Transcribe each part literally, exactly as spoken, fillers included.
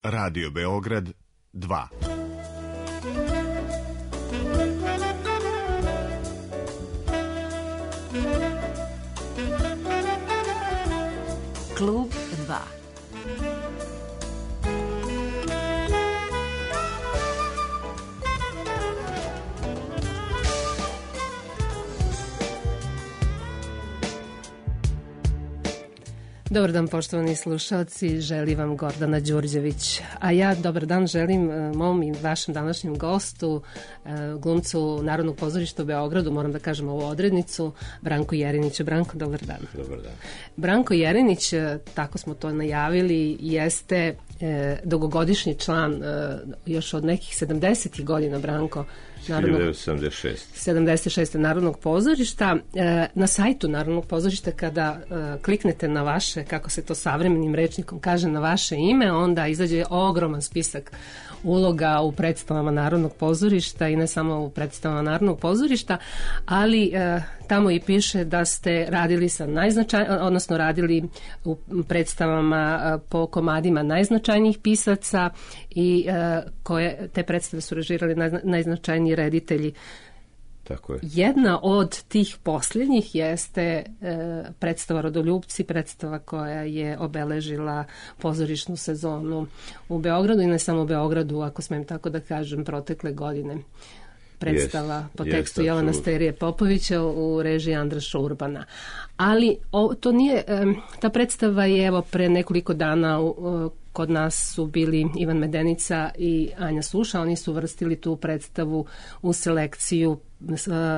Radio Beograd dva. Klub dva. Dobar dan, poštovani slušalci, želi vam Gordana Đurđević. A ja dobar dan želim mom i vašem današnjem gostu, glumcu Narodnog pozorišta u Beogradu, moram da kažem ovu odrednicu, Branko Jerinić. Branko, dobar dan. Dobar dan. Branko Jerinić, tako smo to najavili, jeste dugogodišnji član još od nekih sedamdesetih godina, Branko, Narodnog, sedamdeset šeste. sedamdeset šeste Narodnog pozorišta. Na sajtu Narodnog pozorišta kada kliknete na vaše, kako se to savremenim rečnikom kaže, na vaše ime, onda izađe ogroman spisak uloga u predstavama Narodnog pozorišta i ne samo u predstavama Narodnog pozorišta, ali tamo i piše da ste radili sa najznačajnijim, odnosno radili u predstavama po komadima najznačajnijih pisaca i koje te predstave su režirali najznačajniji reditelji. Tako je. Jedna od tih posljednjih jeste e, predstava Rodoljupci, predstava koja je obeležila pozorišnu sezonu u Beogradu i ne samo u Beogradu, ako smem tako da kažem, protekle godine. Predstava yes, po tekstu yes, Jovana Sterije Popovića u režiji Andraša Urbana. Ali o, to nije, e, ta predstava je evo pre nekoliko dana u, kod nas su bili Ivan Medenica i Anja Suša, oni su vrstili tu predstavu u selekciju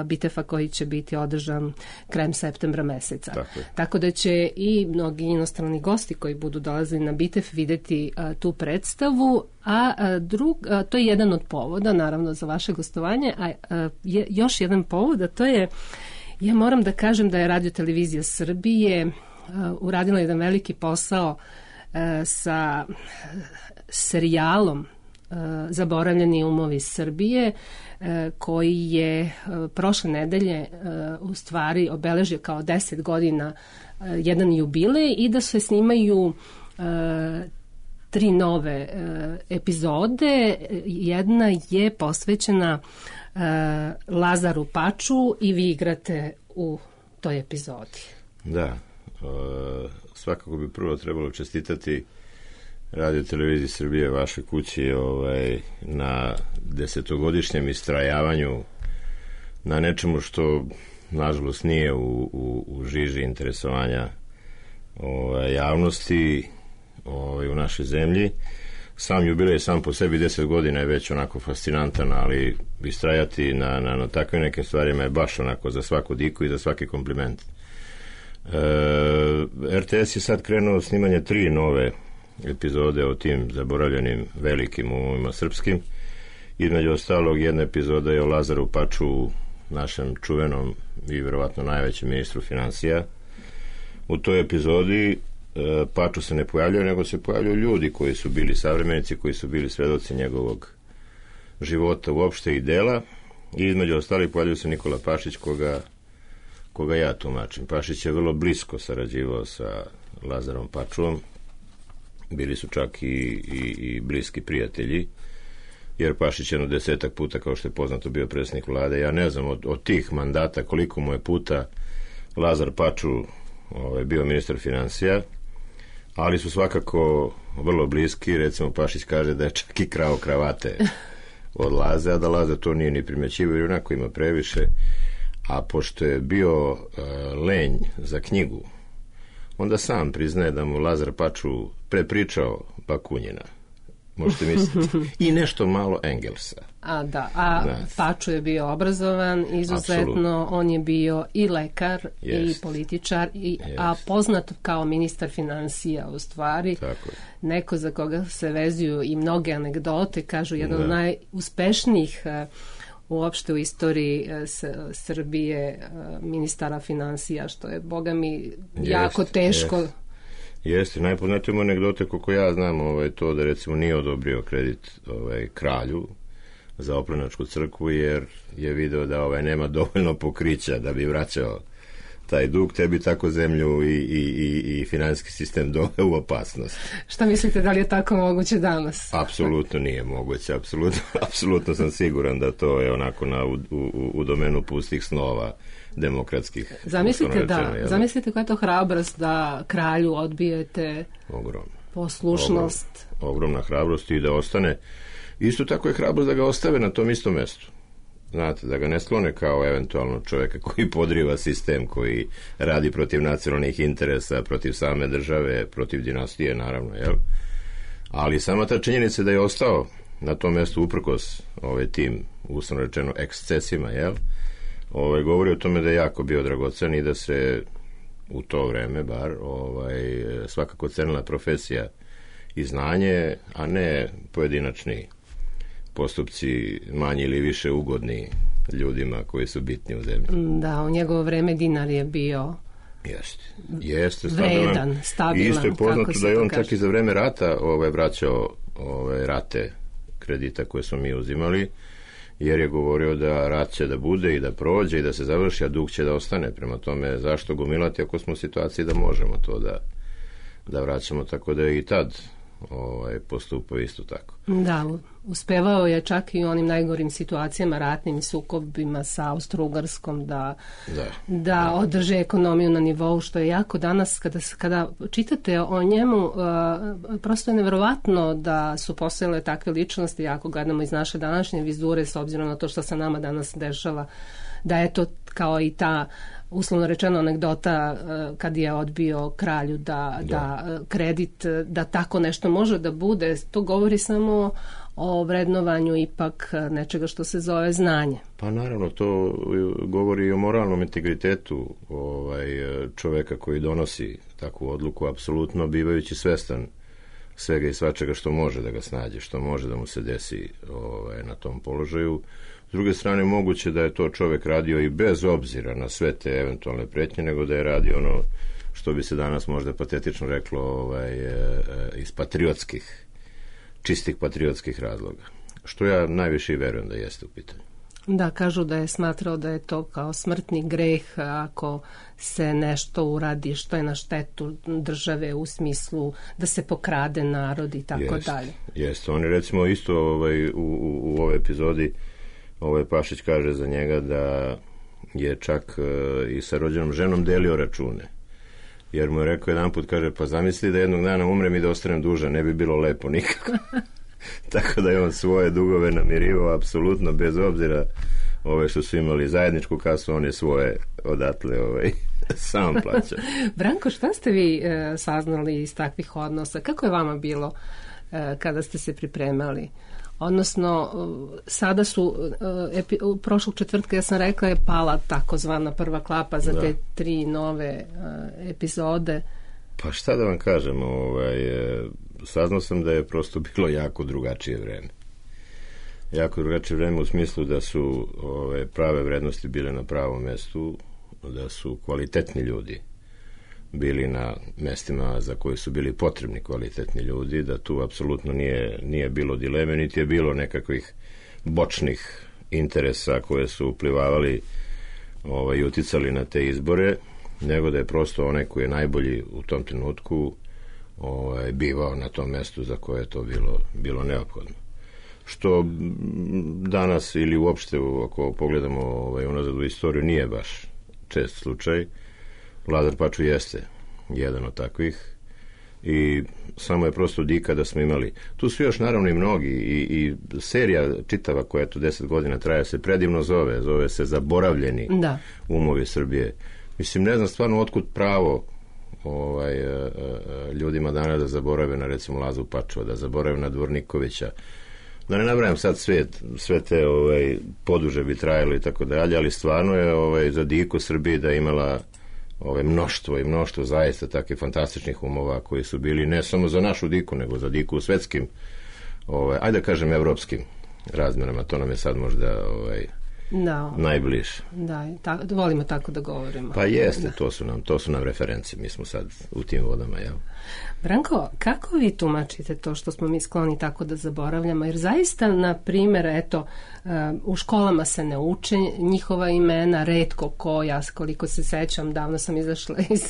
Bitefa koji će biti održan krajem septembra meseca. Tako, Tako da će i mnogi inostrani gosti koji budu dolazili na Bitef videti a, tu predstavu, a, a, drug, a, to je jedan od povoda naravno za vaše gostovanje, a, a je, još jedan povod, a to je, ja moram da kažem da je Radio-televizija Srbije a, uradila jedan veliki posao a, sa serijalom Zaboravljeni umovi Srbije, koji je prošle nedelje u stvari obeležio kao deset godina jedan jubilej i da se snimaju tri nove epizode. Jedna je posvećena Lazaru Paču i vi igrate u toj epizodi. Da, svakako bi prvo trebalo čestitati Radio-televiziji Srbije, vaše kući, ovaj, na desetogodišnjem istrajavanju na nečemu što nažalost nije u, u, u žiži interesovanja ovaj, javnosti ovaj, u našoj zemlji. Sam jubilej sam po sebi deset godina je već onako fascinantan, ali istrajati na, na, na takvim nekim stvarima je baš onako za svaku diku i za svaki kompliment. E, R T S je sad krenuo snimanje tri nove epizode o tim zaboravljenim velikim umovima srpskim. Između ostalog, jedna epizoda je o Lazaru Paču, našem čuvenom i vjerovatno najvećem ministru financija. U toj epizodi e, Paču se ne pojavljaju, nego se pojavljaju ljudi koji su bili savremenici, koji su bili svedoci njegovog života uopšte i dela. I između ostalih pojavljaju se Nikola Pašić, koga, koga ja tumačim. Pašić je vrlo blisko sarađivao sa Lazarom Pačuom. Bili su čak i, i, i bliski prijatelji, jer Pašić je jedno desetak puta, kao što je poznato, bio predsjednik vlade. Ja ne znam od, od tih mandata koliko mu je puta Lazar Paču ovaj, bio ministar financija, ali su svakako vrlo bliski. Recimo, Pašić kaže da je čak i krao kravate od Laze, a da Laza to nije ni primjećivao, jer onako ima previše. A pošto je bio uh, lenj za knjigu, onda sam priznaje da mu Lazar Paču prepričao Bakunjina. Možete misliti. I nešto malo Engelsa. A da, a da. Paču je bio obrazovan izuzetno, Absolutno. On je bio i lekar Jest. i političar, i, a poznat kao ministar financija u stvari. Tako je. Neko za koga se vezuju i mnoge anegdote, kažu jedan da. od najuspešnijih uopšte u istoriji s, Srbije ministara financija, što je, boga mi, jako jest, teško. Jest. Jeste, najpoznatijom anegdote, koliko ja znam, ovaj, to da recimo nije odobrio kredit ovaj, kralju za Oplenačku crkvu, jer je video da ovaj, nema dovoljno pokrića da bi vraćao taj dug, tebi tako zemlju i, i, i, i finansijski sistem doveo u opasnost. Šta mislite, da li je tako moguće danas? Apsolutno nije moguće, apsolutno, apsolutno sam siguran da to je onako na, u, u, u domenu pustih snova demokratskih. Zamislite, rečeno, da, jel? zamislite koja je to hrabrost da kralju odbijete Ogromno. poslušnost. Ogrom, ogromna hrabrost i da ostane. Isto tako je hrabrost da ga ostave na tom istom mestu. Znate, da ga ne sklone kao eventualno čovjeka koji podriva sistem, koji radi protiv nacionalnih interesa, protiv same države, protiv dinastije, naravno, jel? Ali sama ta činjenica da je ostao na tom mjestu uprkos ovaj tim, uslovno rečeno, ekscesima, jel? Ovaj, govori o tome da je jako bio dragocen i da se u to vreme, bar, ovaj, svakako cenila profesija i znanje, a ne pojedinačni postupci manji ili više ugodni ljudima koji su bitni u zemlji. Da, u njegovo vreme dinar je bio Jeste. Jeste vredan, stabilan. I isto je poznato da je on kaže. čak i za vreme rata ovaj, vraćao ovaj, rate kredita koje smo mi uzimali, jer je govorio da rat će da bude i da prođe i da se završi, a dug će da ostane. Prema tome, zašto gomilati ako smo u situaciji da možemo to da, da vraćamo, tako da je i tad ovaj, postupao isto tako. Da, uspevao je čak i u onim najgorim situacijama, ratnim sukobima sa Austro-Ugarskom da, da, da, da održe ekonomiju na nivou, što je jako danas, kada, kada čitate o njemu, uh, prosto je nevjerovatno da su postojale takve ličnosti, ako gledamo iz naše današnje vizure, s obzirom na to što se nama danas dešava, da je to kao i ta uslovno rečeno anegdota kad je odbio kralju da, da. da kredit, da tako nešto može da bude. To govori samo o vrednovanju ipak nečega što se zove znanje. Pa naravno, to govori i o moralnom integritetu ovaj, čoveka koji donosi takvu odluku, apsolutno bivajući svestan svega i svačega što može da ga snađe, što može da mu se desi ovaj, na tom položaju. S druge strane, moguće da je to čovjek radio i bez obzira na sve te eventualne pretnje, nego da je radio ono što bi se danas možda patetično reklo ovaj, iz patriotskih, čistih patriotskih razloga. Što ja najviše i verujem da jeste u pitanju. Da, kažu da je smatrao da je to kao smrtni greh ako se nešto uradi što je na štetu države u smislu da se pokrade narod i tako jest, dalje. Jeste, oni recimo isto ovaj, u, u, u ovoj epizodi ovaj Pašić kaže za njega da je čak e, i sa rođenom ženom delio račune. Jer mu je rekao jedan put, kaže, pa zamisli da jednog dana umrem i da ostanem dužan, ne bi bilo lepo nikako. Tako da je on svoje dugove namirivao apsolutno bez obzira ove što su imali zajedničku kasu, on je svoje odatle ovaj, sam plaća. Branko, šta ste vi e, saznali iz takvih odnosa? Kako je vama bilo e, kada ste se pripremali? Odnosno, sada su, epi, prošlog četvrtka ja sam rekla je pala takozvana prva klapa za da. te tri nove uh, epizode. Pa šta da vam kažem, ovaj, saznao sam da je prosto bilo jako drugačije vreme. Jako drugačije vreme u smislu da su ove, prave vrednosti bile na pravom mestu, da su kvalitetni ljudi bili na mestima za koje su bili potrebni kvalitetni ljudi, da tu apsolutno nije, nije bilo dileme, niti je bilo nekakvih bočnih interesa koje su uplivavali ovaj, i uticali na te izbore, nego da je prosto onaj koji je najbolji u tom trenutku ovaj, bivao na tom mestu za koje je to bilo, bilo neophodno. Što danas ili uopšte ako pogledamo ovaj, unazad u istoriju nije baš čest slučaj. Lazar Paču jeste jedan od takvih i samo je prosto dika da smo imali. Tu su još naravno i mnogi i, i serija čitava koja tu deset godina traje se predivno zove, zove se Zaboravljeni da. umovi Srbije. Mislim, ne znam stvarno otkud pravo ovaj, ljudima danas da zaborave na recimo Lazu Pačua, da zaborave na Dvornikovića. Da ne nabrajam sad sve, sve te ovaj, poduže bi trajalo i tako dalje, ali stvarno je ovaj, za diku Srbije da imala ove mnoštvo i mnoštvo zaista takvih fantastičnih umova koji su bili ne samo za našu diku, nego za diku u svetskim, ovaj, ajde da kažem, evropskim razmjerama. To nam je sad možda ovaj, da, najbliže. Da, ta, volimo tako da govorimo. Pa jeste, da. to su nam, to su nam reference, mi smo sad u tim vodama, jel? Branko, kako vi tumačite to što smo mi skloni tako da zaboravljamo? Jer zaista, na primjer, eto, u školama se ne uče njihova imena, retko ko, ja koliko se sećam, davno sam izašla iz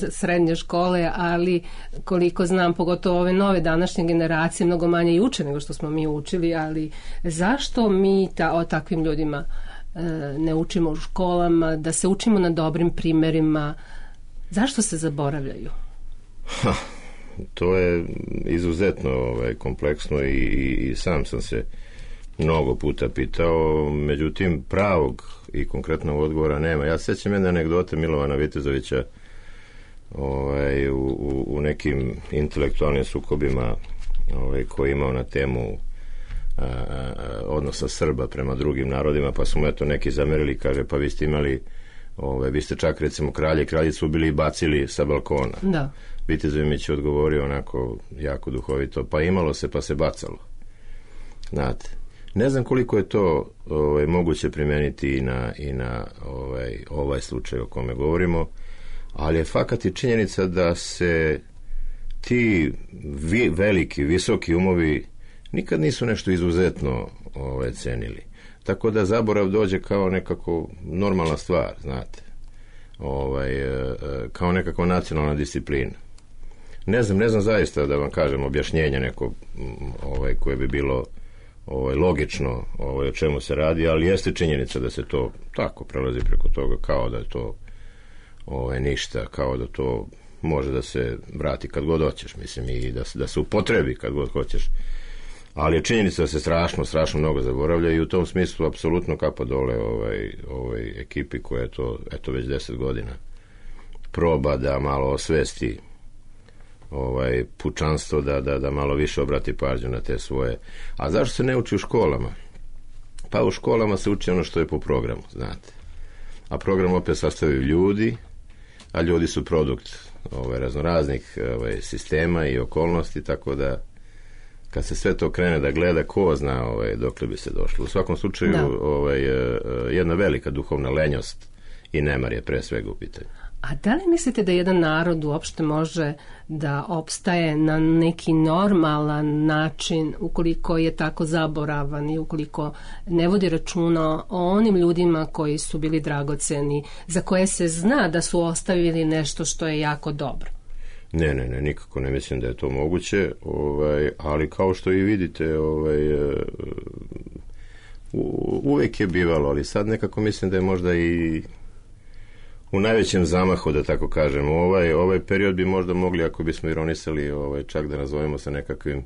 srednje škole, ali koliko znam, pogotovo ove nove današnje generacije, mnogo manje i uče nego što smo mi učili, ali zašto mi ta, o takvim ljudima ne učimo u školama, da se učimo na dobrim primjerima? Zašto se zaboravljaju? Ha, to je izuzetno ovaj, kompleksno i, i, i sam sam se mnogo puta pitao, međutim pravog i konkretnog odgovora nema. Ja sećam jedne anegdote Milovana Vitezovića ovaj, u, u, u nekim intelektualnim sukobima ovaj, koji je imao na temu a, a, odnosa Srba prema drugim narodima, pa su mu eto neki zamerili, kaže, pa vi ste imali ovaj, vi ste čak recimo kralje i kraljicu ubili i bacili sa balkona. Da. Vitezović je odgovorio onako jako duhovito, pa imalo se pa se bacalo. Znate, ne znam koliko je to ovaj, moguće primeniti i na, i na ovaj, ovaj slučaj o kome govorimo, ali je fakat i činjenica da se ti vi, veliki, visoki umovi nikad nisu nešto izuzetno ovaj, cenili. Tako da zaborav dođe kao nekako normalna stvar, znate, ovaj, kao nekakva nacionalna disciplina. Ne znam, ne znam zaista da vam kažem objašnjenje neko ovaj, koje bi bilo ovaj, logično ovaj, o čemu se radi, ali jeste činjenica da se to tako prelazi preko toga kao da je to ovaj, ništa, kao da to može da se vrati kad god hoćeš, mislim, i da se, da se upotrebi kad god hoćeš. Ali je činjenica da se strašno, strašno mnogo zaboravlja i u tom smislu apsolutno kapa dole ovaj, ovaj ekipi koja je to, eto, već deset godina proba da malo osvesti ovaj pučanstvo, da, da, da malo više obrati pažnju na te svoje. A zašto se ne uči u školama? Pa u školama se uči ono što je po programu, znate. A program opet sastavljaju ljudi, a ljudi su produkt ovaj, raznoraznih ovaj, sistema i okolnosti, tako da kad se sve to krene da gleda, ko zna ovaj, dokle bi se došlo. U svakom slučaju ovaj, jedna velika duhovna lenjost i nemar je pre svega u pitanju. A da li mislite da jedan narod uopšte može da opstaje na neki normalan način ukoliko je tako zaboravan i ukoliko ne vodi računa o onim ljudima koji su bili dragoceni, za koje se zna da su ostavili nešto što je jako dobro? Ne, ne, ne, nikako ne mislim da je to moguće, ovaj, ali kao što i vidite, ovaj, u, uvek je bivalo, ali sad nekako mislim da je možda i u najvećem zamahu, da tako kažem. Ovaj, ovaj period bi možda mogli, ako bismo ironisali, ovaj, čak da nazovemo sa nekakvim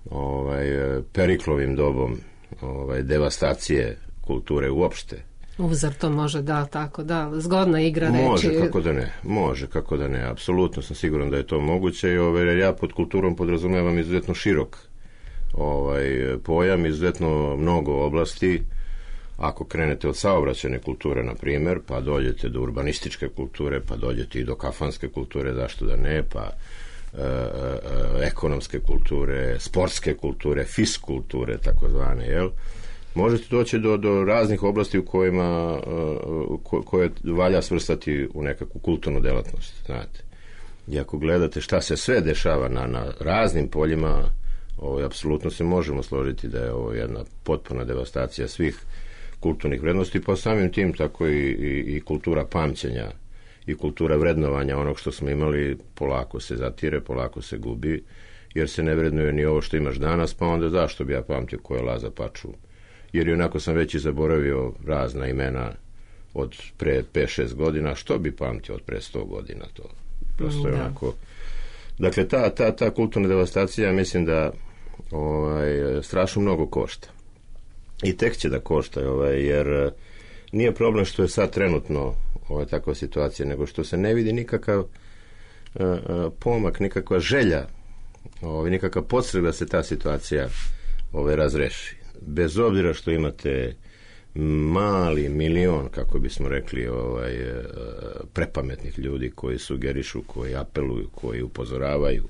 ovaj, periklovim dobom ovaj, devastacije kulture uopšte. Uzar to može, da, tako, da, zgodna igra reči. Može, kako da ne, može, kako da ne, apsolutno sam siguran da je to moguće i ovaj, jer ja pod kulturom podrazumevam izuzetno širok ovaj, pojam, izuzetno mnogo oblasti. Ako krenete od saobraćajne kulture, na primjer, pa dođete do urbanističke kulture, pa dođete i do kafanske kulture, zašto da ne, pa e, e, ekonomske kulture, sportske kulture, fiskulture, takozvane, jel? Možete doći do, do raznih oblasti u kojima ko, koje valja svrstati u nekakvu kulturnu delatnost, znate. I ako gledate šta se sve dešava na, na raznim poljima, ovo, apsolutno se možemo složiti da je ovo jedna potpuna devastacija svih kulturnih vrednosti, pa samim tim tako i, i, i kultura pamćenja i kultura vrednovanja onog što smo imali polako se zatire, polako se gubi, jer se ne vrednuje ni ovo što imaš danas, pa onda zašto bi ja pamtio ko je Laza Paču? Jer onako sam već i zaboravio razna imena od pre pet šest godina, što bi pamtio od pre sto godina, to prosto je da. onako. Dakle, ta, ta, ta kulturna devastacija, mislim da ovaj, strašno mnogo košta. I tek će da košta, ovaj, jer nije problem što je sad trenutno ovaj, takva situacija, nego što se ne vidi nikakav uh, pomak, nikakva želja, ovaj, nikakav podstrek da se ta situacija ovaj, razreši. Bez obzira što imate mali milion, kako bismo rekli, ovaj, prepametnih ljudi koji sugerišu, koji apeluju, koji upozoravaju,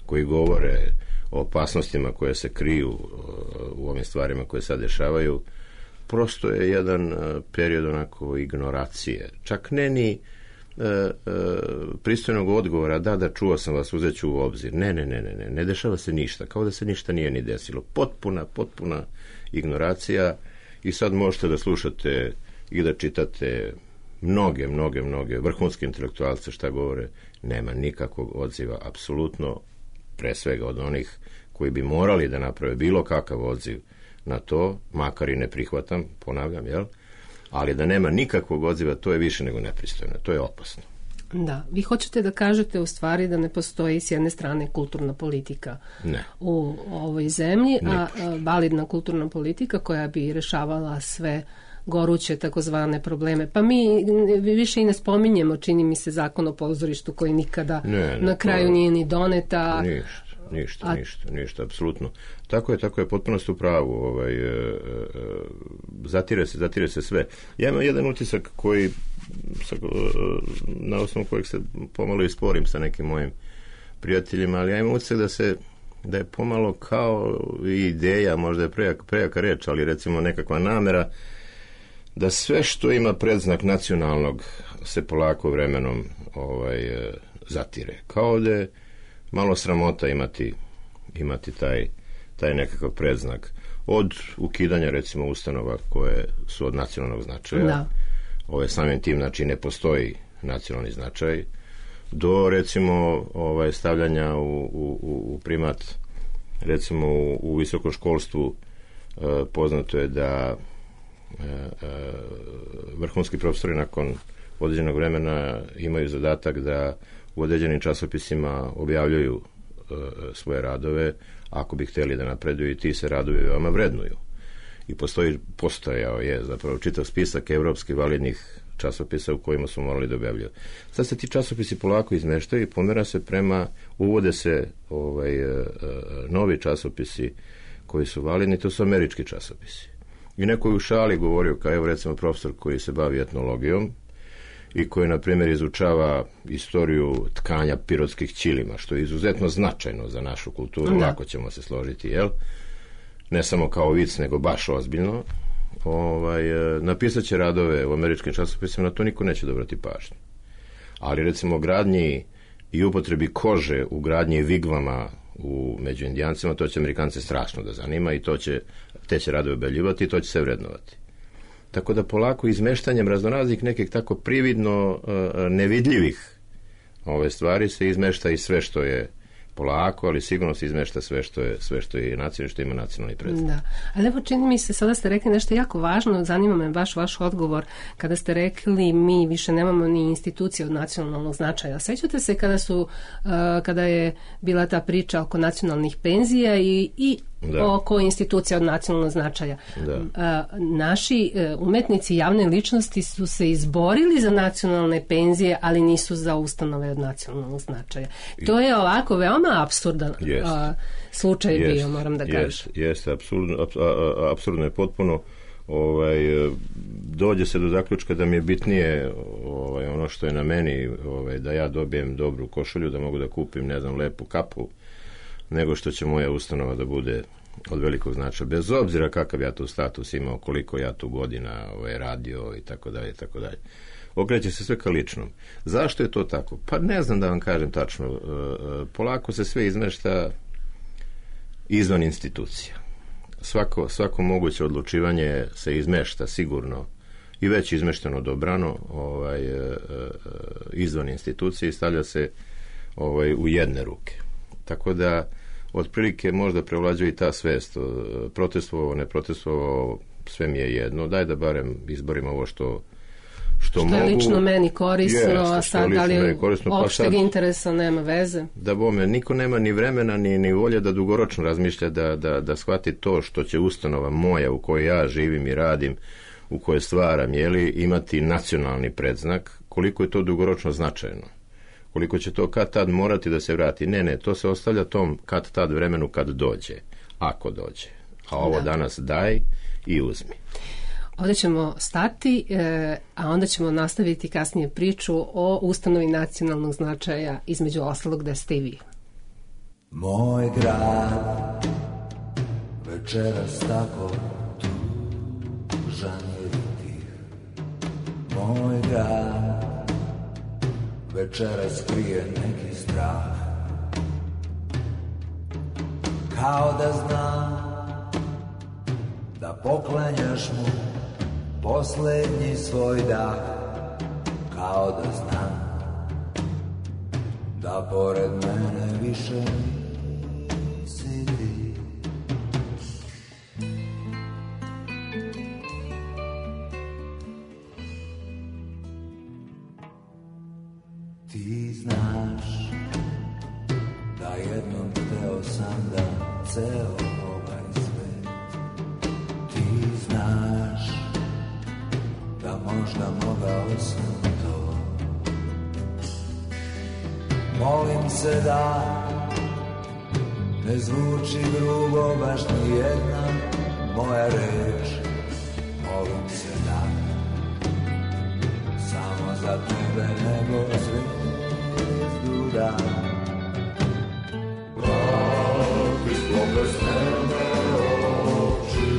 koji govore o opasnostima koje se kriju u ovim stvarima koje sad dešavaju, prosto je jedan period onako ignoracije. Čak ne ni e, e, pristojnog odgovora, da, da, čuo sam vas, uzet ću u obzir. Ne, ne, ne, ne, ne, ne dešava se ništa, kao da se ništa nije ni desilo. Potpuna, potpuna ignoracija i sad možete da slušate i da čitate mnoge, mnoge, mnoge vrhunske intelektualce šta govore, nema nikakvog odziva, apsolutno, pre svega od onih koji bi morali da naprave bilo kakav odziv na to, makar i ne prihvatam, ponavljam, jel? Ali da nema nikakvog odziva, to je više nego nepristojno, to je opasno. Da, vi hoćete da kažete u stvari da ne postoji s jedne strane kulturna politika ne. u ovoj zemlji, a, a Nipošto. validna kulturna politika koja bi rešavala sve goruće takozvane probleme. Pa mi više i ne spominjemo, čini mi se, zakon o pozorištu koji nikada ne, ne, na kraju to... nije ni doneta. Ništa, ništa, a... ništa, ništa, apsolutno. Tako je, tako je, potpuno ste u pravu. Ovaj, e, e, zatire se, zatire se sve. Ja imam jedan utisak koji, sa, na osnovu kojeg se pomalo i sporim sa nekim mojim prijateljima, ali ja imam utisak da se da je pomalo kao ideja, možda je prejaka, prejaka reč, ali recimo nekakva namera da sve što ima predznak nacionalnog se polako vremenom ovaj, zatire. Kao da je malo sramota imati, imati taj, taj nekakav predznak. Od ukidanja recimo ustanova koje su od nacionalnog značaja, da. Ove, samim tim znači ne postoji nacionalni značaj, do recimo ovaj, stavljanja u, u, u primat recimo u, u visokom školstvu e, poznato je da e, e, vrhunski profesori nakon određenog vremena imaju zadatak da u određenim časopisima objavljuju e, svoje radove ako bi htjeli da napreduju i ti se radovi veoma vrednuju. I postoji, postojao je zapravo čitav spisak evropskih validnih časopisa u kojima su morali da objavljuju. Sad se ti časopisi polako izmeštaju i pomera se prema, uvode se ovaj, novi časopisi koji su validni, to su američki časopisi. I neko je u šali govorio, kao evo recimo profesor koji se bavi etnologijom i koji, na primjer, izučava istoriju tkanja pirotskih ćilima, što je izuzetno značajno za našu kulturu, da. Lako ćemo se složiti, jel? Ne samo kao vic, nego baš ozbiljno. Ovaj, napisat će radove u američkim časopisima, na to niko neće dobrati pažnju. Ali recimo gradnji i upotrebi kože u gradnji vigvama u, među Indijancima, to će Amerikance strašno da zanima i to će, te će radove objavljivati i to će se vrednovati. Tako da polako izmeštanjem raznoraznih nekih tako prividno uh, nevidljivih ove stvari se izmešta i sve što je polako, ali sigurno se izmešta sve što je, sve što je nacionalno, što ima nacionalni predstavnik. Da, ali evo čini mi se, sada ste rekli nešto jako važno, zanima me baš vaš odgovor, kada ste rekli mi više nemamo ni institucije od nacionalnog značaja. Sećate se kada su, uh, kada je bila ta priča oko nacionalnih penzija i, i da. oko institucija od nacionalnog značaja. Da. Uh, naši uh, umetnici, javne ličnosti su se izborili za nacionalne penzije, ali nisu za ustanove od nacionalnog značaja. To je ovako veoma apsurdan Jest. uh, slučaj Jest. bio, moram da kažem. Jeste, jeste, apsurdno, apsurdno je potpuno. Ovaj, dođe se do zaključka da mi je bitnije ovaj, ono što je na meni, ovaj, da ja dobijem dobru košulju, da mogu da kupim, ne znam, lepu kapu, nego što će moja ustanova da bude od velikog značaja. Bez obzira kakav ja tu status imao, koliko ja tu godina ovaj, radio i tako dalje, i tako dalje. Okreće se sve ka ličnom. Zašto je to tako? Pa ne znam da vam kažem tačno. Polako se sve izmešta izvan institucija. Svako, svako moguće odlučivanje se izmešta sigurno i već izmešteno dobrano ovaj, izvan institucije i stavlja se ovaj, u jedne ruke. Tako da otprilike možda prevlađuje i ta svest. Protestovao, ne protestovao, sve mi je jedno. Daj da barem izborim ovo što što, što mogu. je lično meni korisno, Jeste, a sad da li korisno, opšteg pa sad, interesa nema veze. Da bome, niko nema ni vremena ni, ni volje da dugoročno razmišlja da, da, da shvati to što će ustanova moja u kojoj ja živim i radim, u kojoj stvaram, jeli, imati nacionalni predznak, koliko je to dugoročno značajno. Koliko će to kad tad morati da se vrati. Ne, ne, to se ostavlja tom kad tad vremenu kad dođe, ako dođe. A ovo da. Danas daj i uzmi. Ovdje ćemo stati, e, a onda ćemo nastaviti kasnije priču o ustanovi nacionalnog značaja, između ostalog gde ste i vi. Moj grad večeras tako tužan je tih. Moj grad večeras krije neki strah, kao da zna da poklanjaš mu poslednji svoj dah, kao da zna da pored mene više nisi ti. Ti znaš da jednom hteo sam da ceo ovaj svet, ti znaš da možda mogao sam to. Molim se da ne zvuči grubo baš ni jedna moja reč. Molim se da samo za tebe nego zvezdu dan. Kakvi sklope sneme oči,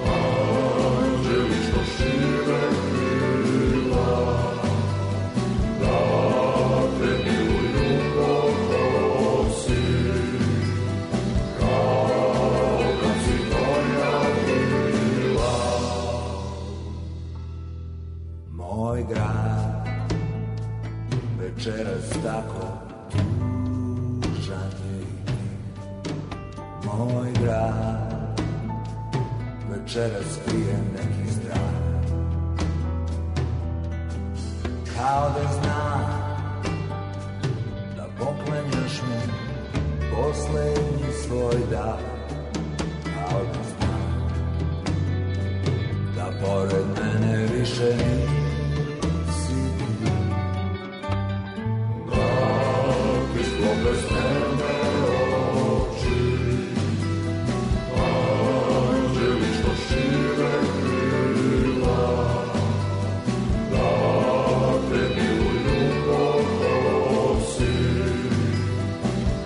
anđeli što šire krila, da te miluju pokosi, kao kad si moja bila. Moj grad večeras tako tužan je i ti. Moj grad večeras krije neki strah, kao da zna da poklanjaš mu poslednji svoj dah, kao da zna da pored mene više nisi ti. Kakvi sklope sneme oči, anđeli što šire krila, da te miluju pokosi,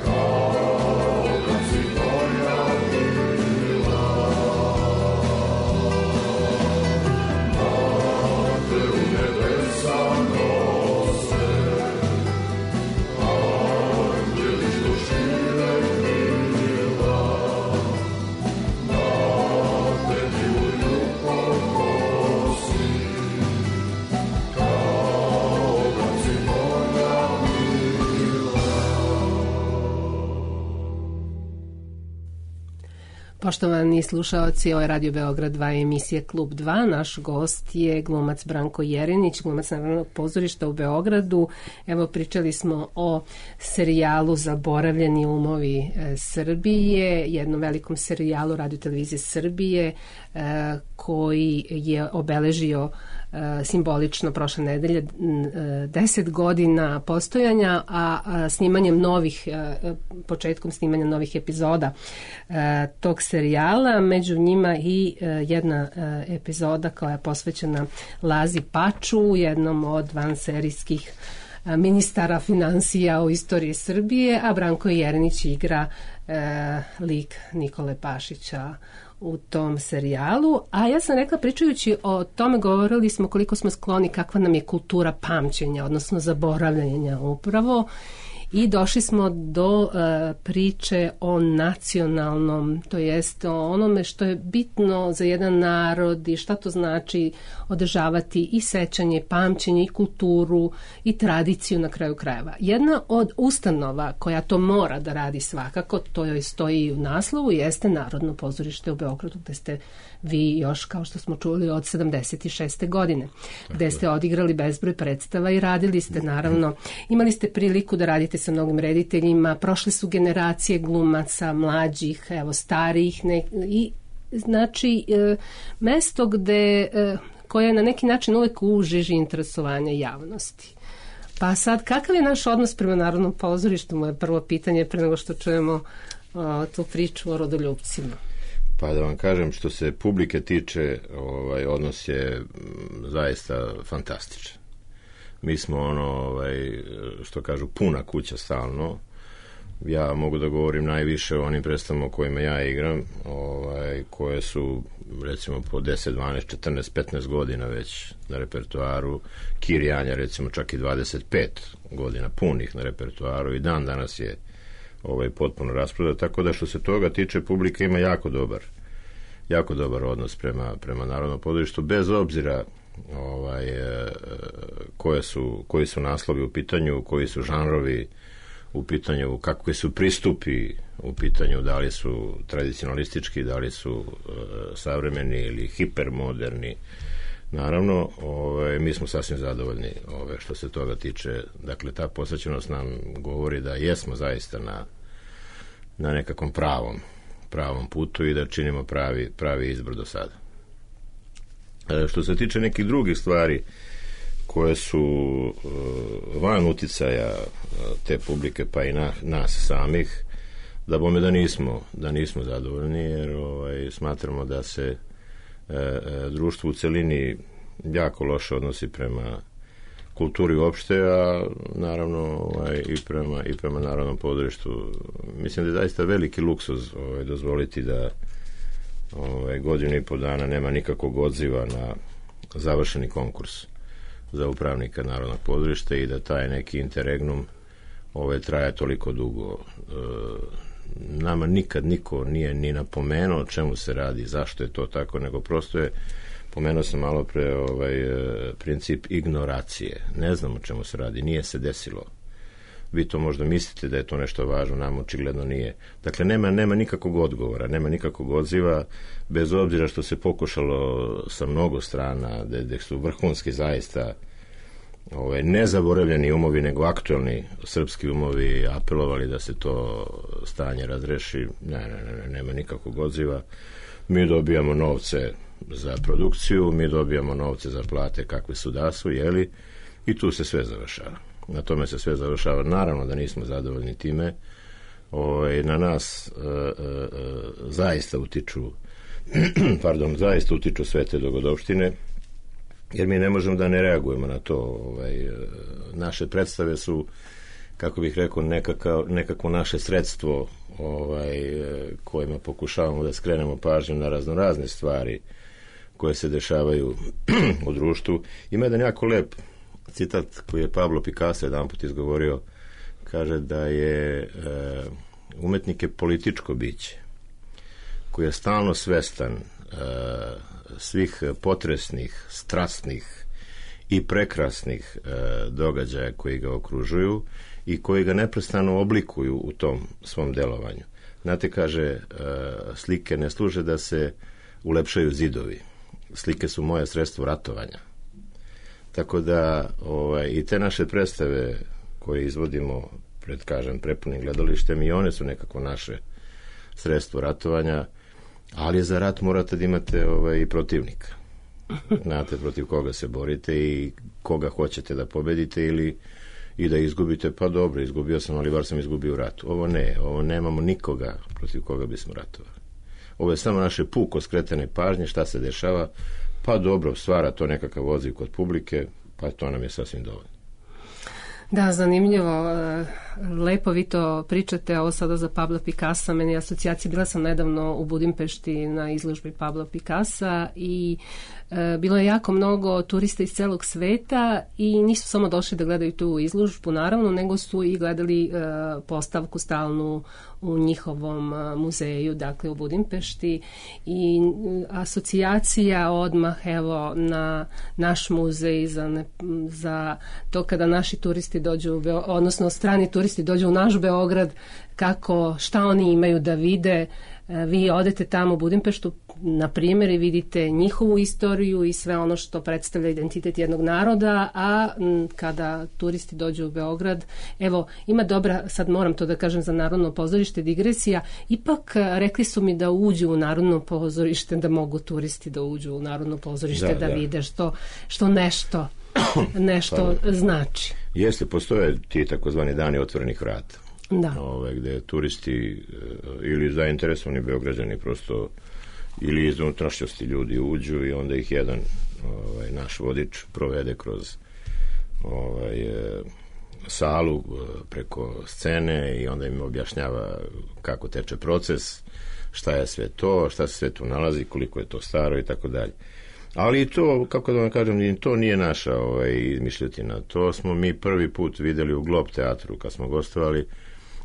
kao kad si moja bila. Da te u nebesa nose, anđeli što šire krila, da te miluju pokosi, kao kad si moja bila. Poštovani slušaoci, ovo je Radio Beograd dva, emisija Klub dva. Naš gost je glumac Branko Jerinić, glumac Narodnog pozorišta u Beogradu. Evo, pričali smo o serijalu Zaboravljeni umovi e, Srbije, jednom velikom serijalu Radio televizije Srbije e, koji je obeležio e, simbolično prošle nedelje e, deset godina postojanja, a, a snimanjem novih, e, početkom snimanja novih epizoda e, tog serijala, među njima i e, jedna e, epizoda koja je posvećena Lazi Paču, jednom od vanserijskih e, ministara finansija u istoriji Srbije, a Branko Jerinić igra e, lik Nikole Pašića u tom serijalu. A ja sam rekla, pričajući o tome, govorili smo koliko smo skloni, kakva nam je kultura pamćenja, odnosno zaboravljanja upravo. I došli smo do uh, priče o nacionalnom, to jest o onome što je bitno za jedan narod i šta to znači održavati i sećanje, pamćenje, i kulturu, i tradiciju na kraju krajeva. Jedna od ustanova koja to mora da radi svakako, to joj stoji u naslovu, jeste Narodno pozorište u Beogradu, gde ste vi još, kao što smo čuli, od sedamdeset šeste godine, gde ste odigrali bezbroj predstava i radili ste, naravno, imali ste priliku da radite sa mnogim rediteljima, prošle su generacije glumaca, mlađih, evo, starijih, ne, i znači e, mesto gde, e, koje je na neki način uvek u žiži interesovanja javnosti. Pa sad, kakav je naš odnos prema Narodnom pozorištu? Moje prvo pitanje pre nego što čujemo o, tu priču o rodoljupcima. Pa da vam kažem, što se publike tiče, ovaj, odnos je zaista fantastičan. Mi smo ono, ovaj, što kažu, puna kuća stalno. Ja mogu da govorim najviše o onim predstavama kojima ja igram. Ovaj, ovaj, koje su recimo po deset, dvanaest, četrnaest, petnaest godina već na repertoaru. Kirjanja recimo čak i dvadeset pet godina punih na repertoaru i dan danas je ovaj, potpuno rasprodat, tako da što se toga tiče publika ima jako dobar jako dobar odnos prema, prema Narodnom pozorištu, bez obzira ovaj, koje su, koji su naslovi u pitanju, koji su žanrovi u pitanju, kakvi su pristupi u pitanju, da li su tradicionalistički, da li su uh, savremeni ili hipermoderni. Naravno, ovaj, mi smo sasvim zadovoljni ovaj, što se toga tiče. Dakle, ta posvećenost nam govori da jesmo zaista na, na nekakvom pravom, pravom putu i da činimo pravi, pravi izbor do sada. E, što se tiče nekih drugih stvari koje su uh, van uticaja uh, te publike pa i na, nas samih, da bome da nismo, da nismo zadovoljni, jer ovaj, smatramo da se uh, društvo u celini jako loše odnosi prema kulturi uopšte, a naravno ovaj, i, prema, i prema Narodnom pozorištu. Mislim da je zaista veliki luksuz ovaj, dozvoliti da ovaj, godinu i po dana nema nikakvog odziva na završeni konkurs za upravnika Narodnog pozorišta i da taj neki interregnum ovaj, traje toliko dugo. E, nama nikad niko nije ni napomenuo o čemu se radi, zašto je to tako, nego prosto je, pomenuo sam malo pre ovaj, princip ignoracije. Ne znam o čemu se radi, nije se desilo. Vi to možda mislite da je to nešto važno, nam očigledno nije. Dakle, nema, nema nikakvog odgovora, nema nikakvog odziva, bez obzira što se pokušalo sa mnogo strana, da, da su vrhunski zaista ovaj, nezaboravljeni umovi, nego aktualni srpski umovi apelovali da se to stanje razreši. Ne, ne, ne, nema nikakvog odziva. Mi dobijamo novce za produkciju, mi dobijamo novce za plate kakve su da su, jeli, i tu se sve završava. Na tome se sve završava. Naravno da nismo zadovoljni time. Ovaj, na nas e, e, zaista utiču pardon, zaista utiču sve te dogodovštine, jer mi ne možemo da ne reagujemo na to. Ovaj, naše predstave su, kako bih rekao, nekakav, nekako naše sredstvo ovaj, kojima pokušavamo da skrenemo pažnju na raznorazne stvari koje se dešavaju u društvu. Ima jedan jako lep citat koji je Pablo Picasso jedan put izgovorio, kaže da je e, umetnik je političko biće koji je stalno svestan e, svih potresnih, strasnih i prekrasnih e, događaja koji ga okružuju i koji ga neprestano oblikuju u tom svom delovanju. Znate, kaže, e, slike ne služe da se ulepšaju zidovi. Slike su moje sredstvo ratovanja. Tako da ovaj, i te naše predstave koje izvodimo pred, kažem, prepunim gledalištem, i one su nekako naše sredstvo ratovanja, ali za rat morate da imate ovaj, i protivnika. Znate protiv koga se borite i koga hoćete da pobedite ili i da izgubite, pa dobro, izgubio sam, ali bar sam izgubio u ratu. Ovo ne, ovo nemamo nikoga protiv koga bismo ratovali. Ovo je samo naše puko skretane pažnje, šta se dešava, pa dobro, stvara to nekakav odziv kod publike, pa to nam je sasvim dovoljno. Da, zanimljivo. Lepo vi to pričate, ovo sada za Pabla Picassa, meni je asocijacija, bila sam nedavno u Budimpešti na izložbi Pabla Picassa i e, bilo je jako mnogo turista iz celog sveta i nisu samo došli da gledaju tu izložbu, naravno, nego su i gledali e, postavku stalnu u njihovom a, muzeju, dakle u Budimpešti, i asocijacija odmah evo na naš muzej za, ne, za to kada naši turisti dođu, odnosno strani turisti dođu u naš Beograd, kako, šta oni imaju da vide. Vi odete tamo u Budimpeštu, na primjer, i vidite njihovu istoriju i sve ono što predstavlja identitet jednog naroda, a m, kada turisti dođu u Beograd, evo, ima dobra, sad moram to da kažem za Narodno pozorište, digresija, ipak rekli su mi da uđu u Narodno pozorište, da mogu turisti da uđu u Narodno pozorište, da, da, da vide što, što nešto nešto pa, znači. Jeste, postoje ti takozvani dani otvorenih vrata. Da. Ove, gde turisti ili zainteresovani Beograđani prosto ili iz unutrašnjosti ljudi uđu i onda ih jedan ovaj, naš vodič provede kroz ovaj, salu preko scene i onda im objašnjava kako teče proces, šta je sve to, šta se sve tu nalazi, koliko je to staro i tako dalje. Ali i to, kako da vam kažem, to nije naša ovaj, izmišljotina. To smo mi prvi put videli u Glob teatru kad smo gostovali.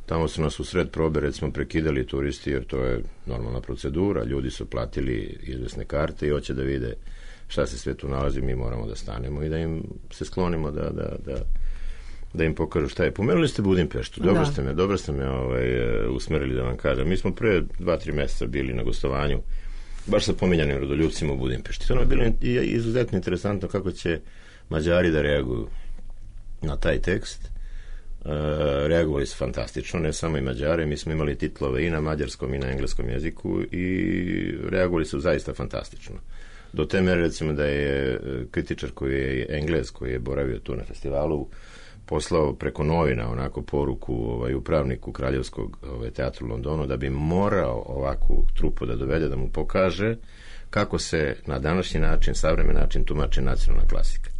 Tamo su nas u sred probe, recimo, prekidali turisti, jer to je normalna procedura. Ljudi su platili izvesne karte i hoće da vide šta se sve tu nalazi. Mi moramo da stanemo i da im se sklonimo da, da, da, da im pokažu šta je. Pomenuli ste Budimpeštu. Dobro Da. ste me, dobro ste me ovaj, usmerili da vam kažem. Mi smo pre dva, tri meseca bili na gostovanju baš sa pominjanim rodoljupcima u Budimpešti. To nam je bilo i- izuzetno interesantno kako će Mađari da reaguju na taj tekst. E, reagovali su fantastično, ne samo i Mađare, mi smo imali titlove i na mađarskom i na engleskom jeziku i reagovali su zaista fantastično. Do te mere, recimo, da je e, kritičar koji je Englez, koji je boravio tu na festivalu, poslao preko novina onako poruku ovaj, upravniku Kraljevskog ovaj, teatru u Londonu da bi morao ovakvu trupu da dovede, da mu pokaže kako se na današnji način, savremen način tumači nacionalna klasika.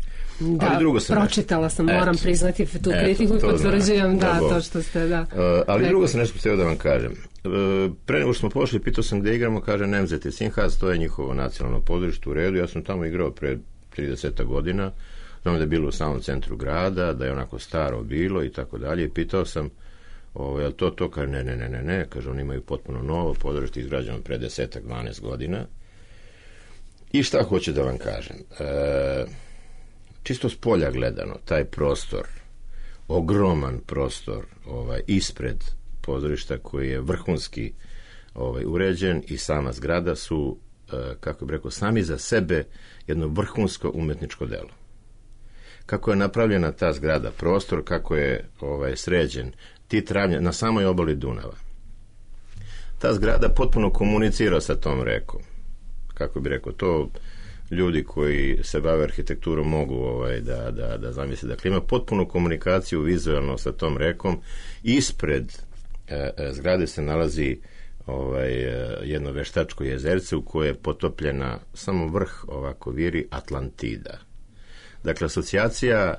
Da, Ali drugo sam pročitala nešto. sam, moram Eto. priznati tu Eto, kritiku i to potvrđujem, znam. da, Da, to Bog. što ste, da. Uh, ali rekli. drugo sam nešto htio da vam kažem. Uh, pre nego što smo pošli, pitao sam gde igramo, kaže Nemzete Sinhas, to je njihovo nacionalno pozorište u redu. Ja sam tamo igrao pre trideset godina. Znam da je bilo u samom centru grada, da je onako staro bilo i tako dalje. I pitao sam, ovaj, jel to to? Kaže, ne, ne, ne, ne, ne. Kaže, oni imaju potpuno novo pozorište izgrađeno pre desetak, dvanaest godina. I šta hoću da vam kažem? E, čisto s polja gledano, taj prostor, ogroman prostor ovaj, ispred pozorišta koji je vrhunski ovaj, uređen i sama zgrada su, e, kako bih rekao, sami za sebe jedno vrhunsko umetničko delo. Kako je napravljena ta zgrada, prostor, kako je ovaj, sređen, ti travnja, na samoj obali Dunava. Ta zgrada potpuno komunicira sa tom rekom. Kako bi rekao, to ljudi koji se bave arhitekturom mogu ovaj, da, da, da zamisle. Dakle, ima potpunu komunikaciju vizualno sa tom rekom. Ispred e, e, zgrade se nalazi ovaj, e, jedno veštačko jezerce u koje je potopljena samo vrh ovako viri Atlantida. Dakle, asocijacija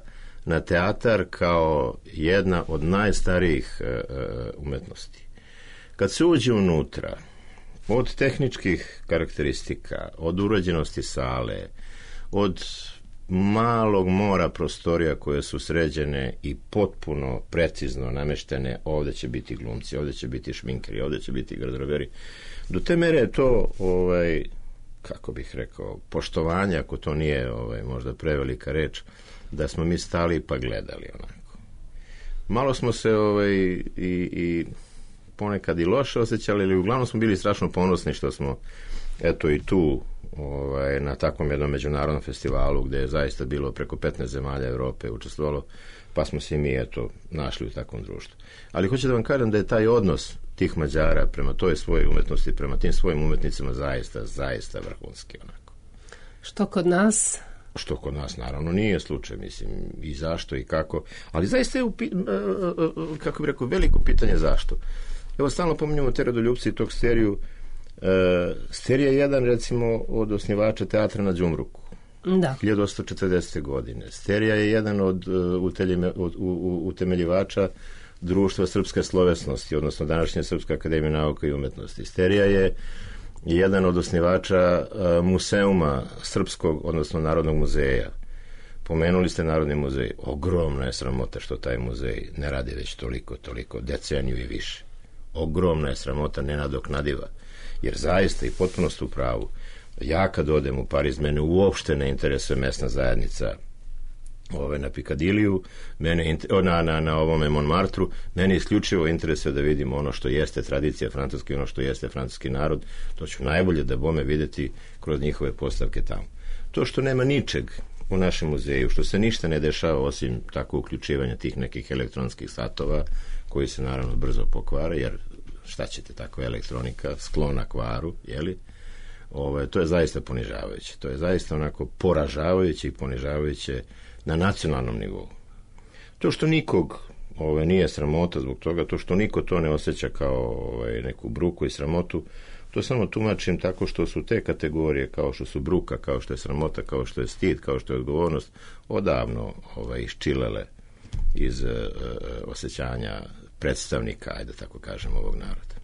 na teatar kao jedna od najstarijih e, e, umetnosti. Kad se uđe unutra, od tehničkih karakteristika, od uređenosti sale, od malog mora prostorija koje su sređene i potpuno precizno nameštene, ovdje će biti glumci, ovdje će biti šminkeri, ovdje će biti garderoberi. Do te mere je to, ovaj, kako bih rekao, poštovanje, ako to nije ovaj, možda prevelika reč, da smo mi stali pa gledali onako. Malo smo se ovaj, i, i ponekad i loše osjećali, ali uglavnom smo bili strašno ponosni što smo eto i tu ovaj, na takvom jednom međunarodnom festivalu gdje je zaista bilo preko petnaest zemalja Europe učestvovalo, pa smo se i mi eto našli u takvom društvu. Ali hoću da vam kažem da je taj odnos tih Mađara prema toj svojoj umetnosti, prema tim svojim umetnicima zaista, zaista vrhunski onako. Što kod nas? Što kod nas naravno nije slučaj, mislim, i zašto i kako, ali zaista je, upi, kako bih rekao, veliko pitanje zašto. Evo, stalno pominjamo te rodoljupce i tog Steriju. E, Sterija je jedan, recimo, od osnivača teatra na Đumruku. Da. hiljadu osamsto četrdesete godine. Sterija je jedan od, uteljime, od u, u, utemeljivača Društva srpske slovesnosti, odnosno današnje Srpske akademije nauka i umetnosti. Sterija je jedan od osnivača uh, museuma Srpskog, odnosno Narodnog muzeja. Pomenuli ste Narodni muzej. Ogromna je sramota što taj muzej ne radi već toliko, toliko, deceniju i više. Ogromna je sramota, nenadoknadiva. Jer zaista i potpuno ste u pravu. Ja kad odem u Pariz, mene uopšte ne interesuje mesna zajednica ove, na Pikadiliju, mene, na, na, na ovome Montmartru, mene isključivo interesuje da vidim ono što jeste tradicija francuski, ono što jeste francuski narod. To ću najbolje da bome vidjeti kroz njihove postavke tamo. To što nema ničeg u našem muzeju, što se ništa ne dešava osim tako uključivanja tih nekih elektronskih satova koji se naravno brzo pokvare, jer šta ćete, tako elektronika sklona kvaru, jeli? Ove, to je zaista ponižavajuće. To je zaista onako poražavajuće i ponižavajuće na nacionalnom nivou. To što nikog ove, nije sramota zbog toga, to što niko to ne osjeća kao ove, neku bruku i sramotu, to samo tumačim tako što su te kategorije, kao što su bruka, kao što je sramota, kao što je stid, kao što je odgovornost, odavno ove, iščilele iz e, osjećanja predstavnika, ajde tako kažem, ovog naroda.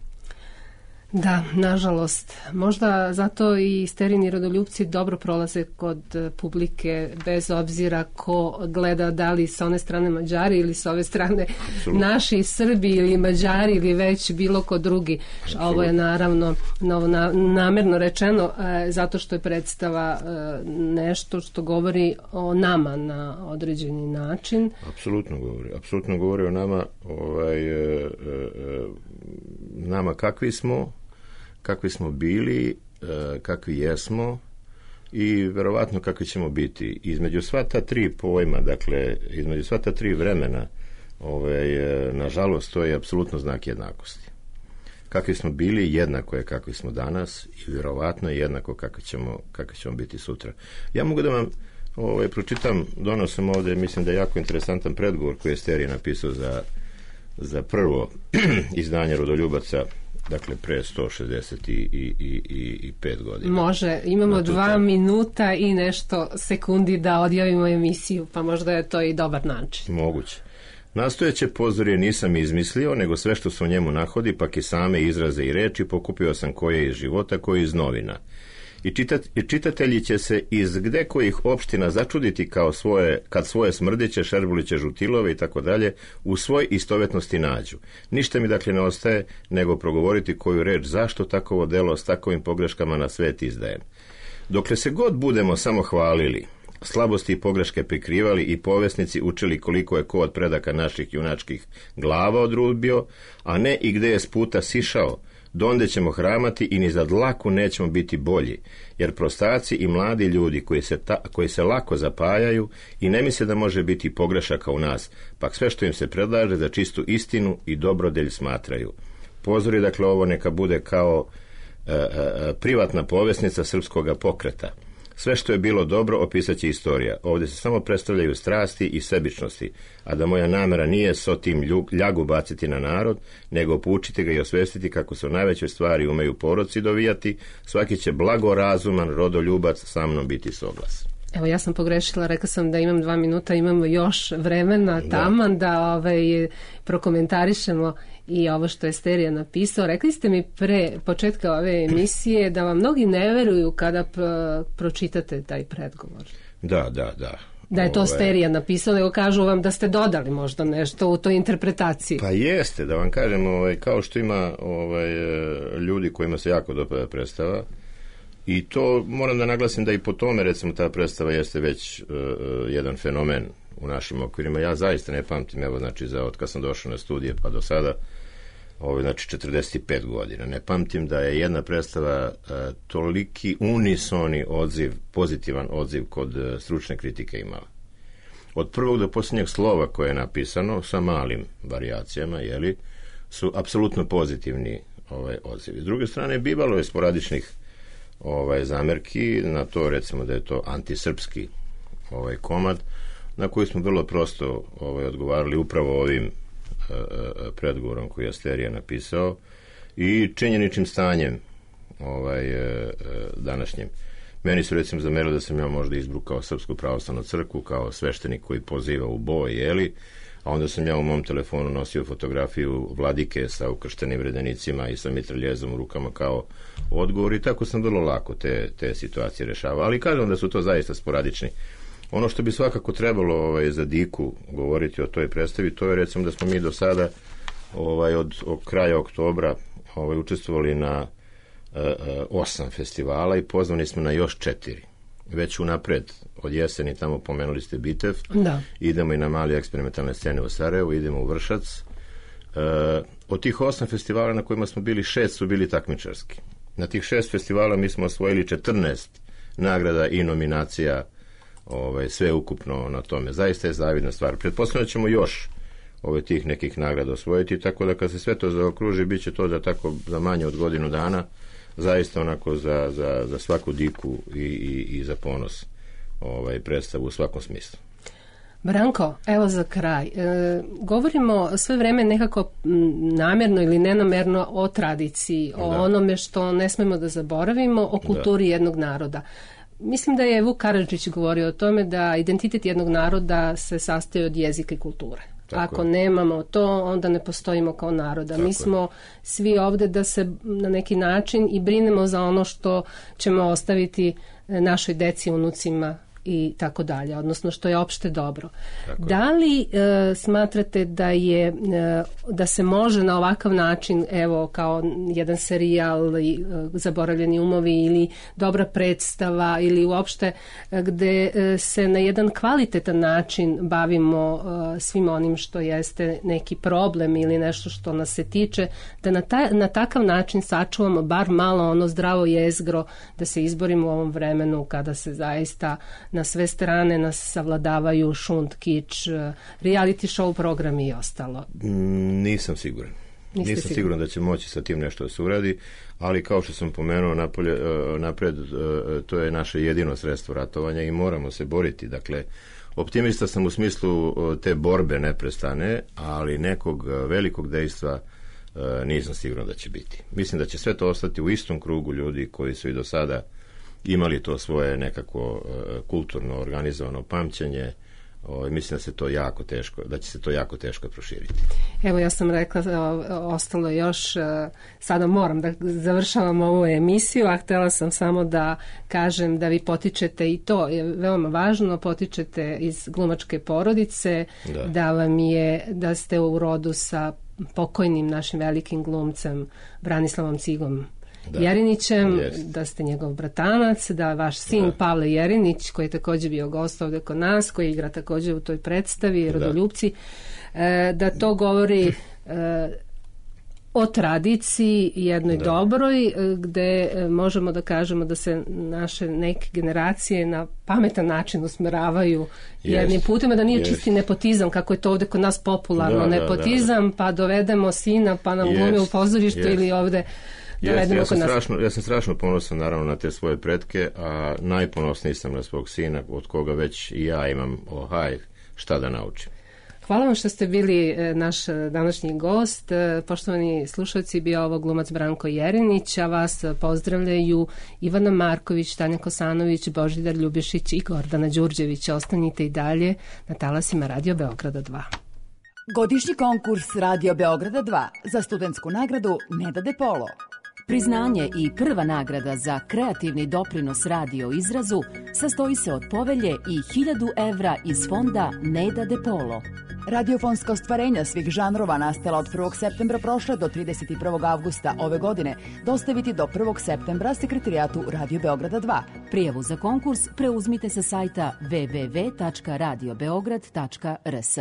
Da, nažalost. Možda zato i sterini rodoljupci dobro prolaze kod publike, bez obzira ko gleda, da li sa one strane Mađari ili sa ove strane Absolutno. Naši Srbi ili Mađari ili već bilo ko drugi. Absolutno. Ovo je naravno novo, na, namerno rečeno e, zato što je predstava e, nešto što govori o nama na određeni način. Apsolutno govori. Apsolutno govori o nama, ovaj, e, e, nama kakvi smo, kakvi smo bili, e, kakvi jesmo i verovatno kakvi ćemo biti. Između sva ta tri pojma, dakle, između sva ta tri vremena, ovaj, e, nažalost, to je apsolutno znak jednakosti. Kakvi smo bili, jednako je kakvi smo danas i verovatno je jednako kakvi ćemo, kakvi ćemo biti sutra. Ja mogu da vam ovaj, pročitam, donosam ovde, mislim da je jako interesantan predgovor koji je Sterije napisao za, za prvo izdanje Rodoljubaca, dakle pre sto šezdeset pet godina. Može, imamo dva ta... minuta i nešto sekundi da odjavimo emisiju, pa možda je to i dobar način. Moguće. Nastojeće pozorje nisam izmislio, nego sve što se u njemu nahodi, pak i same izraze i reči pokupio sam koje iz života, koje iz novina. I, čitat, i čitatelji će se iz gde kojih opština začuditi kao svoje, kad svoje smrdiće, šerbuliće, žutilove i tako dalje u svoj istovetnosti nađu. Ništa mi dakle ne ostaje nego progovoriti koju reč zašto takovo delo s takovim pogreškama na svet izdajem. Dokle se god budemo samo hvalili, slabosti i pogreške prikrivali i povesnici učili koliko je ko od predaka naših junačkih glava odrubio, a ne i gde je s puta sišao, donde ćemo hramati i ni za dlaku nećemo biti bolji, jer prostaci i mladi ljudi koji se, ta, koji se lako zapajaju i ne misle da može biti pogrešaka u nas, pak sve što im se predlaže za čistu istinu i dobrodelj smatraju. Pozori, dakle, ovo neka bude kao e, e, privatna povesnica srpskoga pokreta. Sve što je bilo dobro opisat će istorija. Ovdje se samo predstavljaju strasti i sebičnosti, a da moja namera nije s tim ljagu baciti na narod, nego poučiti ga i osvestiti kako se u najvećoj stvari umeju poroci dovijati, svaki će blagorazuman rodoljubac sa mnom biti soglas. Evo, ja sam pogrešila, rekla sam da imam dva minuta, imamo još vremena taman da, da ovaj, prokomentarišemo i ovo što je Sterija napisao. Rekli ste mi pre početka ove emisije da vam mnogi ne veruju kada p- pročitate taj predgovor. Da, da, da. Da je to Ove... Sterija napisao, nego kažu vam da ste dodali možda nešto u toj interpretaciji. Pa jeste, da vam kažem, ovaj, kao što ima ovaj, ljudi kojima se jako dopada predstava, i to moram da naglasim da i po tome, recimo, ta predstava jeste već uh, jedan fenomen u našim okvirima. Ja zaista ne pamtim, evo, znači, za od kad sam došao na studije pa do sada, ovo, znači, četrdeset pet godina. Ne pamtim da je jedna predstava uh, toliki unisoni odziv, pozitivan odziv kod uh, stručne kritike imala. Od prvog do posljednjeg slova koje je napisano, sa malim varijacijama, jeli, su apsolutno pozitivni ovaj, odzivi. S druge strane, bivalo je sporadičnih ovaj, zamerki na to, recimo da je to antisrpski ovaj, komad, na koji smo vrlo prosto ovaj, odgovarali upravo ovim e, predgovorom koji je Sterija napisao i činjeničnim stanjem ovaj, e, današnjim. Meni su, recimo, zamerili da sam ja možda izbrukao Srpsku pravoslavnu crkvu kao sveštenik koji poziva u boj, jeli, a onda sam ja u mom telefonu nosio fotografiju vladike sa ukrštenim redenicima i sa mitraljezom u rukama kao odgovor i tako sam vrlo lako te, te situacije rešavao. Ali kažem da su to zaista sporadični. Ono što bi svakako trebalo ovaj, za diku govoriti o toj predstavi, to je, recimo, da smo mi do sada ovaj, od, od kraja oktobra ovaj, učestvovali na e, e, osam festivala i pozvani smo na još četiri. Već unapred od jeseni, tamo pomenuli ste Bitev, da. Idemo i na mali eksperimentalne scene u Sarajevu, idemo u Vršac. E, od tih osam festivala na kojima smo bili, šest su bili takmičarski. Na tih šest festivala mi smo osvojili četrnaest nagrada i nominacija, ovaj, sve ukupno na tome. Zaista je zavidna stvar. Pretpostavljamo ćemo još ove tih nekih nagrada osvojiti, tako da kad se sve to zaokruži, bit će to za, tako, za manje od godinu dana, zaista onako za, za, za svaku diku i, i, i za ponos ovaj, predstavu u svakom smislu. Branko, evo za kraj. E, govorimo sve vreme nekako namjerno ili nenamerno o tradiciji, o da. onome što ne smemo da zaboravimo, o kulturi da. jednog naroda. Mislim da je Vuk Karadžić govorio o tome da identitet jednog naroda se sastoji od jezika i kulture. Tako Ako je. nemamo to, onda ne postojimo kao naroda. Tako Mi je. smo svi ovde da se na neki način i brinemo za ono što ćemo ostaviti e, našoj deci, unucima i tako dalje, odnosno što je opšte dobro. Tako je. Da li e, smatrate da je e, da se može na ovakav način, evo kao jedan serijal i, e, Zaboravljeni umovi ili dobra predstava ili uopšte e, gde e, se na jedan kvalitetan način bavimo e, svim onim što jeste neki problem ili nešto što nas se tiče, da na, taj, na takav način sačuvamo bar malo ono zdravo jezgro, da se izborimo u ovom vremenu kada se zaista na sve strane nas savladavaju šund, kič, reality show programi i ostalo. Mm, Nisam siguran. Niste Nisam sigurni? siguran da će moći sa tim nešto da se uradi, ali kao što sam pomenuo napolje, e, napred, e, to je naše jedino sredstvo ratovanja i moramo se boriti. Dakle, optimista sam u smislu e, te borbe neprestane, ali nekog e, velikog dejstva e, nisam siguran da će biti. Mislim da će sve to ostati u istom krugu ljudi koji su i do sada imali to svoje nekako e, kulturno organizovano pamćenje. O, mislim da se to jako teško, da će se to jako teško proširiti. Evo ja sam rekla, o, ostalo je još, e, sada moram da završavam ovu emisiju, a htjela sam samo da kažem da vi potičete, i to je veoma važno, potičete iz glumačke porodice, Da. da vam je, da ste u rodu sa pokojnim našim velikim glumcem Branislavom Cigom Da. Jerinićem, Jest. da ste njegov bratanac, da vaš sin Da. Pavle Jerinić, koji je također bio gost ovdje kod nas, koji igra također u toj predstavi, Rodoljupci, e, da to govori e, o tradiciji jednoj Da. dobroj, e, gde e, možemo da kažemo da se naše neke generacije na pametan način usmeravaju jednim Jest. putima, da nije Jest. čisti nepotizam, kako je to ovdje kod nas popularno, Da, da, nepotizam, pa dovedemo sina, pa nam glumi u Jest. pozorištu Jest. ili ovdje Jeste, dovedemo ja, kod sam nas. strašno, ja sam strašno ponosan naravno na te svoje pretke, a najponosniji sam na svog sina, od koga već i ja imam ohaj šta da naučim. Hvala vam što ste bili e, naš e, današnji gost. E, Poštovani slušalci, bio ovo glumac Branko Jerinić, a vas e, pozdravljaju Ivana Marković, Tanja Kosanović, Božidar Ljubišić i Gordana Đurđević. Ostanite i dalje na talasima Radio Beograda dva. Godišnji konkurs Radio Beograda dva za studentsku nagradu Neda De Polo. Priznanje i prva nagrada za kreativni doprinos radio izrazu sastoji se od povelje i hiljadu evra iz fonda Neda De Polo. Radiofonska ostvarenja svih žanrova nastala od prvog septembra prošle do trideset prvog avgusta ove godine dostaviti do prvog septembra sekretarijatu Radio Beograda dva. Prijavu za konkurs preuzmite sa sajta w w w tačka radio beograd tačka r s.